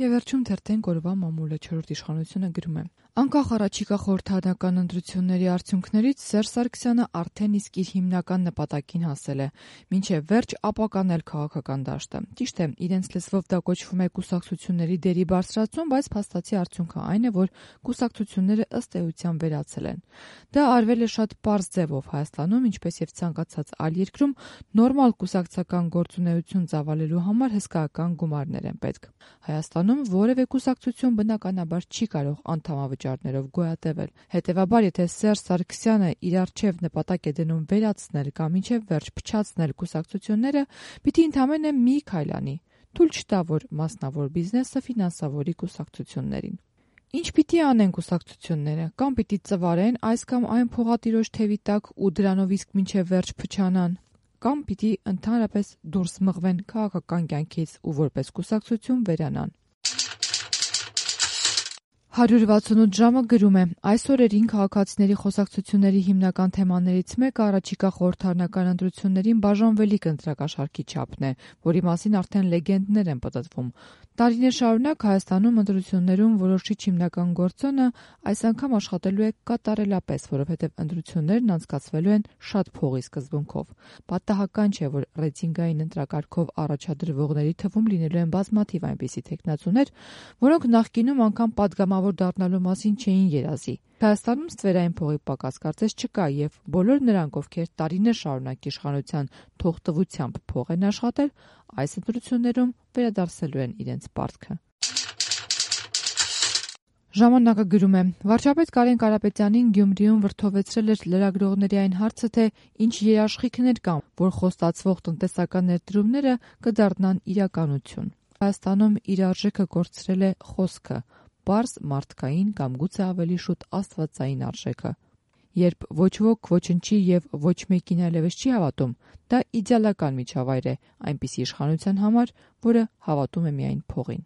Եվ վերջում թերթենք օրվա մամուլը 4-րդ իշխանությունը գրում է. Անկախ առաջիկա խորհրդարանական ընտրությունների արդյունքներից Սերժ Սարգսյանը արդեն իսկ իր հիմնական նպատակին հասել է՝ մինչև վերջ ապականել քաղաքական դաշտը։ Ճիշտ է, իրենց լեզվով դա կոչվում է կուսակցությունների դերի բարձրացում, բայց փաստացի արդյունքը այն է, որ կուսակցությունները ըստ էության վերացել են։ Դա արվել է շատ պարզ ձևով Հայաստանում, ինչպես եւ ցանկացած այլ երկրում, նորմալ կուսակցական գործունեություն ծավալելու համար հսկայական գումարներ են պետք։ Հայաստանում որևէ կուսակցություն բնականաբար չի կարող անդամավճարներով գոյատևել։ Հետևաբար, եթե Սերժ Սարգսյանը իր առջև նպատակ է դնում վերացնել կամ մինչև վերջ փչացնել կուսակցությունները, պիտի ընդամենը մի քայլ անի՝ թույլ չտա, որ մասնավոր բիզնեսը ֆինանսավորի կուսակցություններին։ Ինչ պիտի անեն կուսակցությունները, կամ պիտի ծվարեն այս կամ այն փողատիրոջ թևի տակ ու դրանով իսկ մինչև վերջ փչանան, կամ պիտի ընդհանրապես դուրս մղվեն քաղաքական կյանքից ու որպես կուսակցություն վերանան։ 168 ժամը գրում է. այս օրերին քաղաքացիների խոսակցությունների հիմնական թեմաներից մեկը առաջիկա խորհրդարանական ընտրություններին բաժանվելիք ընտրակաշառքի չափն է, որի մասին արդեն լեգենդներ են պտտվում։ Տարիներ շարունակ Հայաստանում ընտրություններում որոշիչ հիմնական գործոնը այս անգամ աշխատելու է կատարելապես, որովհետև ընտրություններն անցկացվելու են շատ փողի սկզբունքով։ Պատահական չէ, որ ռեյտինգային ընտրակարգով առաջադրվողների թվում լինելու են բազմաթիվ այնպիսի թեկնածուներ, որոնք նախկինում անգամ պատգամավոր դառնալու մասին չէին երազի։ Հայաստանում ստվերային փողի պակաս կարծես չկա, եւ բոլոր նրանք, ովքեր տարիներ շարունակ իշխանության թողտվությամբ փող են աշխատել, այս ընտրություններում վերադարձելու են իրենց պարտքը։ Ժամանակը գրում է. վարչապետ Կարեն Կարապետյանին Գյումրիում վրդովեցրել էր լրագրողների այն հարցը, թե ինչ երաշխիքներ կան, որ խոստացվող տնտեսական ներդրումները կդառնան իրականություն։ Հայաստանում իր արժեքը կորցրել է խոսքը, պարզ մարդկային կամ գուցե ավելի շուտ աստվածային արժեքը։ Երբ ոչ ոք ոչնչի եւ ոչ մեկին այլևս չի հավատում, դա իդեալական միջավայր է այնպիսի իշխանության համար, որը հավատում է միայն փողին։